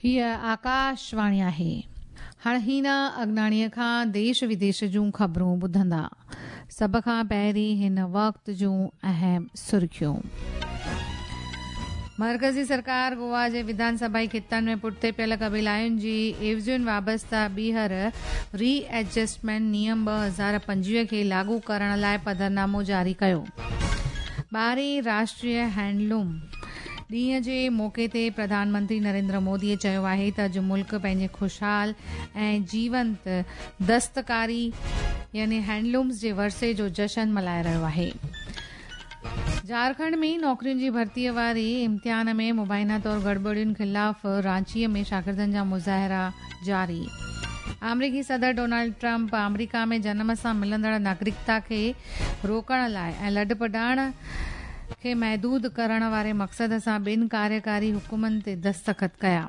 هيء آڪاشواڻي آهي. هاڻ هينا اگناڻيء کان ديش وديش جون خبرون ٻڌندا. سڀ کان پهرين هن وقت جون اهم سرخيون. مرڪزي سرڪار گوا جي وڌان سڀائي خطن ۾ پٺتي پيل قبيلائين جي عيوضين وابسته ٻيهر ري ايڊجسٽمينٽ نيم 2025 کي لاڳو ڪرڻ لاء پڌرنامو جاري ڪيو. ٻارهين راشٽريه هينڊلوم ڏينهن جي موقعي تي پرڌان منتري نريندر مودي چيو آهي ته اڄ ملڪ پنهنجي خوشحال ۽ جيونت دستڪاري يعني هينڊلومز جي ورثي جو جشن ملهائي رهيو آهي. جهارکنڊ ۾ نوڪرين جي ڀرتي واري امتحان ۾ مبينا طور گڙٻڙين خلاف رانچي ۾ شاگردن جا مظاهرا جاري. آمريڪي صدر ڊونلڊ ٽرمپ آمريڪا ۾ جنم سان ملندڙ ناگرڪتا کي روڪڻ لاء ۽ لڏپلاڻ کي محدود ڪرڻ واري مقصد سان ٻن ڪاريڪاري حڪمن تي دستخط ڪيا.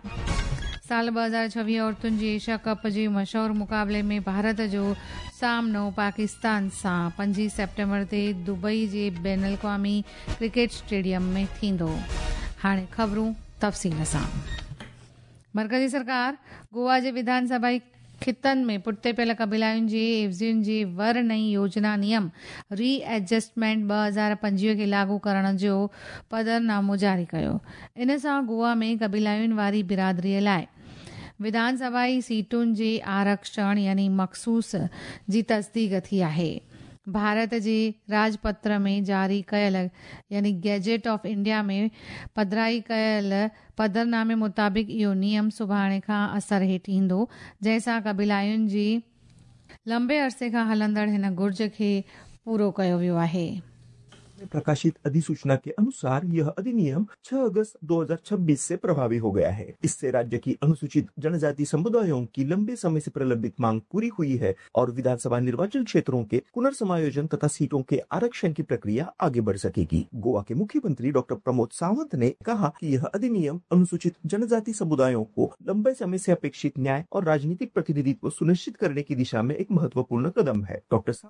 سال 2026 عورتن جي ايشيا ڪپ جي مشهور مقابلي ۾ ڀارت جو سامنو پاڪستان سان 5 سيپٽمبر تي دبئي جي بين الاقوامي ڪرڪيٽ اسٽيڊيم ۾ ٿيندو. هاڻي خبرون تفصيل سان. مرڪزي سرڪار گوا جي وڌان سڀائي خطن ۾ پٺتي پيل قبيلائين جي عيوضين جي ور نئين يوجنا نيم ري ايڊجسٽمينٽ 2025 کي لاڳو ڪرڻ جو پڌرنامو جاري ڪيو. ان سان گوا ۾ قبيلائين واري برادري لاء وڌان سڀائي سيٽن جي آرڪشڻ يعني مخصوص جي تصديق ٿي آهي. ڀارت جي راجپتر ۾ جاري ڪيل يعني گيزيٽ آف انڊيا ۾ پڌرائي ڪيل پڌرنامي مطابق اهو نيم سڀاڻي کان اثر هيٺ ايندو، جنهن سان قبيلائين جي لنبي عرصي کان هلندڙ هن گهرج کي پورو ڪيو ويو آهي. में प्रकाशित अधिसूचना के अनुसार यह अधिनियम 6 अगस्त 2026 से प्रभावी हो गया है। इससे राज्य की अनुसूचित जनजाति समुदायों की लंबे समय से प्रलंबित मांग पूरी हुई है और विधानसभा निर्वाचन क्षेत्रों के पुनर्समायोजन तथा सीटों के आरक्षण की प्रक्रिया आगे बढ़ सकेगी। गोवा के मुख्यमंत्री डॉक्टर प्रमोद सावंत ने कहा कि यह अधिनियम अनुसूचित जनजाति समुदायों को लंबे समय से अपेक्षित न्याय और राजनीतिक प्रतिनिधित्व सुनिश्चित करने की दिशा में एक महत्वपूर्ण कदम है। डॉक्टर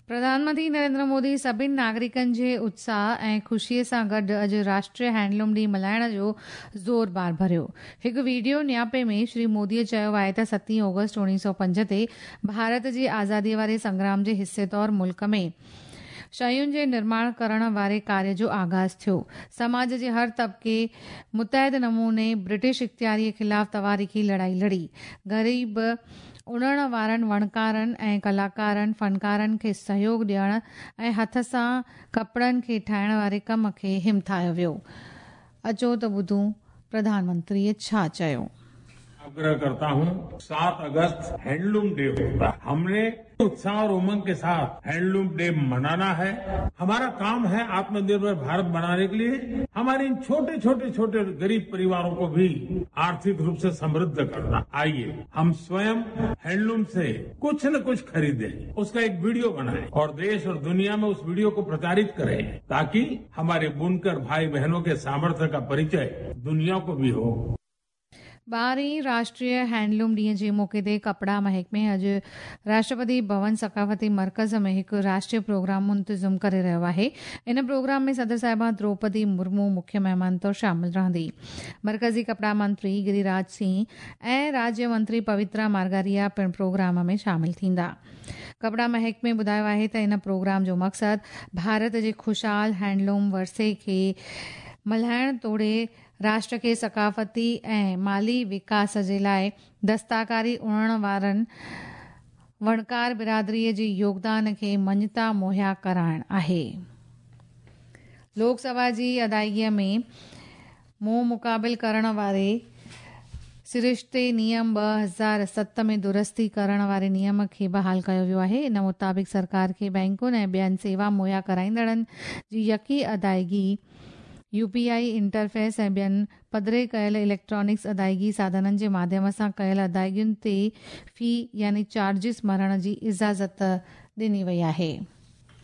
प्रधानमंत्री नरेंद्र मोदी सभिनी नागरिकनि जे उत्साह ऐं ख़ुशीअ सां गॾु अॼु राष्ट्रीय हैंडलूम ॾींहुं मल्हाइण जो ज़ोर बार भरियो। हिकु वीडियो न्यापे में श्री मोदीअ चयो आहे त 7 ऑगस्ट 1905 ते भारत जी आज़ादीअ वारे संग्राम जे हिसे तौर मुल्क में शयुनि जे निर्माण करण वारे कार्य जो आगाज़ थियो। समाज जे हर तबिके मुतहद नमूने ब्रिटिश इख़्तियारीअ ख़िलाफ़ तवारीख़ी लड़ाई लड़ी। ग़रीब उणण वारनि वणकारनि ऐं कलाकारनि, फ़नकारनि खे सहयोग ॾियण ऐं हथ सां कपिड़नि खे ठाहिण वारे कम खे हिमथायो वियो। अचो त ॿुधूं प्रधानमंत्रीअ छा चयो। आग्रह करता हूं, 7 अगस्त हैंडलूम डे होता है। हमने उत्साह और उमंग के साथ हैंडलूम डे मनाना है। हमारा काम है आत्मनिर्भर भारत बनाने के लिए हमारे इन छोटे छोटे छोटे गरीब परिवारों को भी आर्थिक रूप से समृद्ध करना। आइए हम स्वयं हैंडलूम से कुछ न कुछ खरीदें, उसका एक वीडियो बनाएं और देश और दुनिया में उस वीडियो को प्रचारित करें, ताकि हमारे बुनकर भाई बहनों के सामर्थ्य का परिचय दुनिया को भी हो। 12हें राष्ट्रीय हैंडलूम ॾींहं जे मौक़े ते कपिड़ा महकमे अॼु राष्ट्रपति भवन सकाफ़ती मर्कज़ में हिकु राष्ट्रीय प्रोग्राम मुंतज़िम करे रहियो आहे। इन प्रोग्राम में सदर साहिबा द्रौपदी मुर्मू मुख्य महिमान तौर शामिल रहंदी। मर्कज़ी कपिड़ा मंत्री गिरिराज सिंह ऐं राज्य मंत्री पवित्रा मार्गारिया पिणु प्रोग्राम में शामिल थींदा। कपिड़ा महकमे ॿुधायो आहे त इन प्रोग्राम जो मक़सदु भारत जे ख़ुशहाल हैंडलूम वर्से खे मल्हाइण तोड़े राष्ट्र खे सकाफ़ती ऐं माली विकास जे लाइ दस्ताकारी उणण वारनि वणकार बिरादरीअ जे योगदान खे मञता मुहैया कराइण आहे। लोकसभा जी अदायगीअ में मुंहुं मुक़ाबिल करण वारे सिरिश्ते नियम 2007 में दुरुस्ती करण वारे नियम खे बहाल कयो वियो आहे। इन मुताबिक़ सरकार खे बैंकुनि ऐं ॿियनि सेवा मुहैया कराईंदड़नि जी यकी अदायगी यूपीआई इंटरफेस ऐं ॿियनि पधरे कयल इलेक्ट्रॉनिक्स अदायगी साधननि जे माध्यम सां कयल अदायगियुनि ते फ़ी यानी चार्जिस मरण जी इजाज़त ॾिनी वई आहे।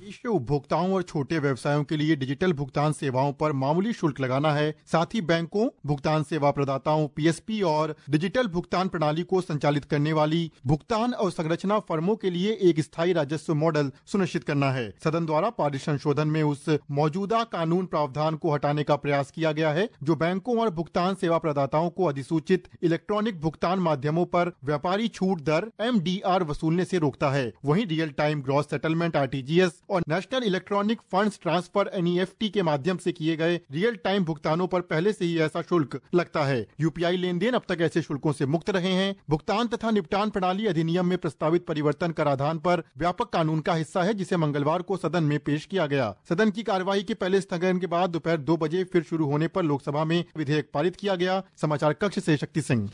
उद्देश्य उपभोक्ताओं और छोटे व्यवसायों के लिए डिजिटल भुगतान सेवाओं पर मामूली शुल्क लगाना है। साथ ही बैंकों, भुगतान सेवा प्रदाताओं पीएसपी और डिजिटल भुगतान प्रणाली को संचालित करने वाली भुगतान और संरचना फर्मों के लिए एक स्थायी राजस्व मॉडल सुनिश्चित करना है। सदन द्वारा पारित संशोधन में उस मौजूदा कानून प्रावधान को हटाने का प्रयास किया गया है जो बैंकों और भुगतान सेवा प्रदाताओं को अधिसूचित इलेक्ट्रॉनिक भुगतान माध्यमों पर व्यापारी छूट दर एमडीआर वसूलने से रोकता है। वहीं real time gross settlement RTGS और national electronic funds transfer NEFT के माध्यम से किए गए रियल टाइम भुगतानों पर पहले से ही ऐसा शुल्क लगता है। यूपीआई लेन then अब तक ऐसे शुल्कों से मुक्त रहे हैं। भुगतान तथा निपटान प्रणाली अधिनियम में प्रस्तावित परिवर्तन कराधान पर व्यापक कानून का हिस्सा है, जिसे मंगलवार को सदन में पेश किया गया। सदन की कार्यवाही के पहले स्थगन के बाद दोपहर 2 बजे फिर शुरू होने पर लोकसभा में विधेयक पारित किया गया। समाचार कक्ष से शक्ति सिंह।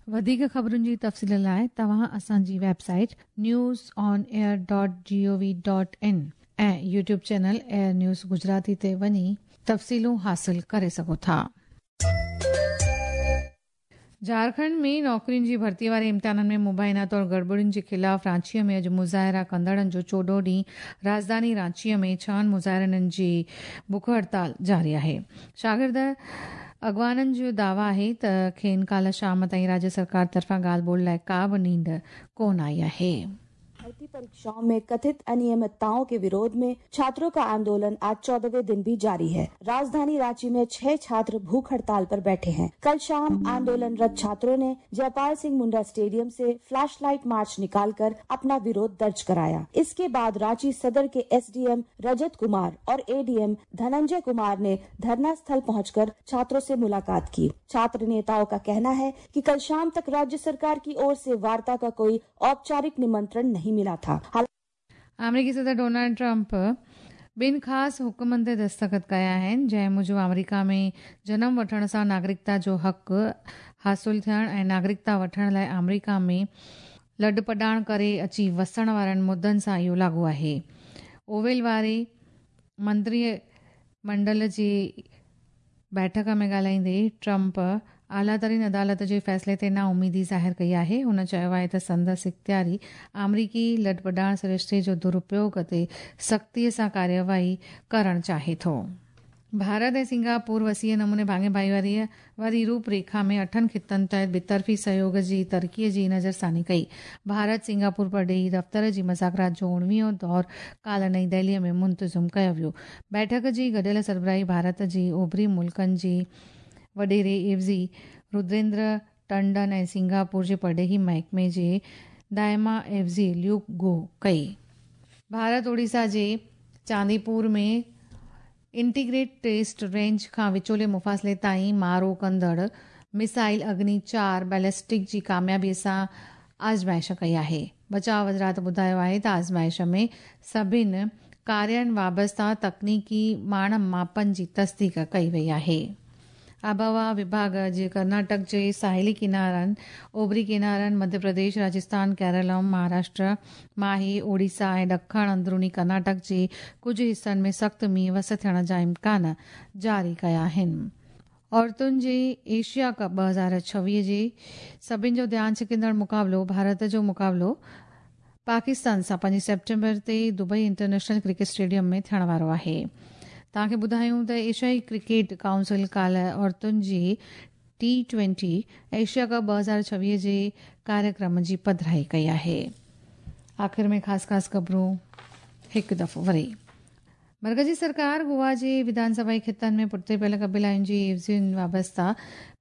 वधीक ख़बरुनि जी तफ़सील लाइ तव्हां असांजी website newsonair.gov.in ऐं YouTube channel air news Gujarati ते वञी तफ़सीलूं हासिल करे सघो था। झारखंड में नौकरियुनि जी भर्ती वारे इम्तिहाननि में मुबाइना तौर गड़बड़ियुनि जे ख़िलाफ़ रांचीअ में अॼु मुज़ाहिरा कंदड़नि जो 14 ॾींहुं। राजधानी रांचीअ में 6 मुज़ाहिरनि जी बुख हड़ताल जारी आहे। शागिर्द अॻवाननि जो दावा आहे त खेनि काल्ह शाम ताईं राज्य सरकार तरफ़ां ॻाल्हि ॿोल लाइ का बि नींड कोन आई आहे। भर्ती परीक्षाओं में कथित अनियमितताओं के विरोध में छात्रों का आंदोलन आज 14वें दिन भी जारी है। राजधानी रांची में 6 छात्र भूख हड़ताल पर बैठे हैं। कल शाम आंदोलनरत छात्रों ने जयपाल सिंह मुंडा स्टेडियम से फ्लैश लाइट मार्च निकालकर अपना विरोध दर्ज कराया। इसके बाद रांची सदर के एसडीएम रजत कुमार और एडीएम धनंजय कुमार ने धरना स्थल पहुंचकर छात्रों से मुलाकात की। छात्र नेताओं का कहना है कि कल शाम तक राज्य सरकार की ओर से वार्ता का कोई औपचारिक निमंत्रण नहीं मिला था। अमेरिकी सदर डोनाल्ड ट्रंप ॿिनि ख़ासि हुकुमनि ते दस्तख़त कया आहिनि, जंहिं मूजिबि आमेरिका में जनम वठण सां नागरिकता जो हक़ हासिल थियण ऐं नागरिकता वठण लाइ आमेरिका में लॾपॾाण करे अची वसण वारनि मुदनि सां इहो लागू आहे। ओवेल वारे मंत्री मंडल जी बैठक में ॻाल्हाईंदे ट्रंप आला तरीन अदालत जे फ़ैसिले ते नाउमीदी ज़ाहिर कई आहे। हुन चयो आहे त संदसि इख़्तियारी आमेरिकी लॾपॾाण सरिश्ते जो दुरुपयोग ते सख़्तीअ सां कार्यवाही करणु चाहे थो। भारत ऐं सिंगापुर वसीअ नमूने भाङे भाईवारीअ वारी रूपरेखा में 8 ख़ितनि तहत ॿितरफ़ी सहयोग जी तरक़ीअ जी नज़रसानी कई। भारत सिंगापुर परॾेही दफ़्तर जी मज़ाकरात जो 19वां दौर काल्ह नई दिल्लीअ में मुंतज़िम कयो वियो। बैठक जी गॾियल सरबराही भारत जी ओभरी मुल्कनि जी वॾेरे एवज़ी रुद्रेंद्र टंडन ऐं सिंगापुर जे परॾेही महकमे जे दाइमा एवज़ी ल्यूक गो कई। भारत ओडिशा जे चांदीपुर में इंटीग्रेट टेस्ट रेंज खां विचोले मुफ़ासिले ताईं मारो कंदड़ मिसाइल अग्नि 4 बैलिस्टिक जी कामयाबीअ सां आज़माइश कई आहे। बचाव वज़ारत ॿुधायो आहे त आज़माइश में सभिनि कार्यनि वाबस्ता तकनीकी माण मापनि जी तस्दीक कई वई आहे। आबहवा विभाग जे कर्नाटक जे साहिली किनारनि, ओभरी किनारनि, मध्य प्रदेश, राजस्थान, केरल, महाराष्ट्र, माही, ओडिशा ऐं ॾखण अंदरूनी कर्नाटक जे कुझु हिसनि में सख़्तु मींहुं वस थियण जा इम्कान जारी कया आहिनि। औरतुनि जे एशिया कप 2026 जे सभिनि जो ध्यानु छिकंदड़ मुक़ाबिलो भारत जो मुक़ाबिलो पाकिस्तान सां 5 सेप्टेम्बर ते दुबई इंटरनेशनल क्रिकेट स्टेडियम में थियण वारो आहे। तव्हांखे ॿुधायूं त एशियाई क्रिकेट काउंसिल काल्ह औरतुनि जी T20 Asia cup 2026 जे कार्यक्रम जी पधराई कई आहे। आख़िर में ख़ासि ख़ासि ख़बरूं हिकु दफ़ो वरी। मरकज़ी सरकार गोवा जे विधानसभा ख़ितनि में पुठिते पियल क़बीलायुनि जी एवज़ियुनि वाबस्ता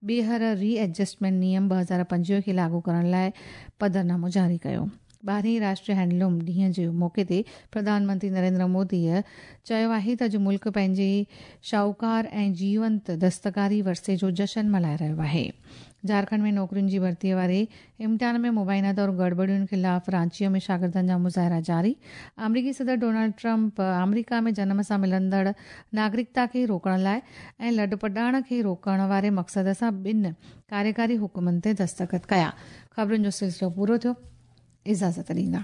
ॿीहर री एडजस्टमेंट नियम 2025 खे लागू करण लाइ पधरनामो जारी कयो। 12वें राष्ट्रीय हैंडलूम ॾींहं जे मौक़े ते प्रधानमंत्री नरेंद्र मोदीअ चयो आहे त अॼु मुल्क पंहिंजे शाहूकार ऐं जीवंत दस्तकारी वरसे जो जशन मल्हाए रहियो आहे। झारखंड में नौकरियुनि जी भर्तीअ वारे इम्तिहान में मुबाइना तौर गड़बड़ियुनि ख़िलाफ़ रांचीअ में शागिर्दनि जा मुज़ाहिरा जारी। आमेरिकी सदर डोनाल्ड ट्रंप आमेरिका में जनम सां मिलंदड़ नागरिकता खे रोकण लाइ ऐं लॾपॾाण खे रोकण वारे मक़सद सां ॿिनि कार्यकारी हुकुमनि ते दस्तख़त कया। ख़बरुनि जो सिलसिलो पूरो थियो। इजाज़त ॾींदा।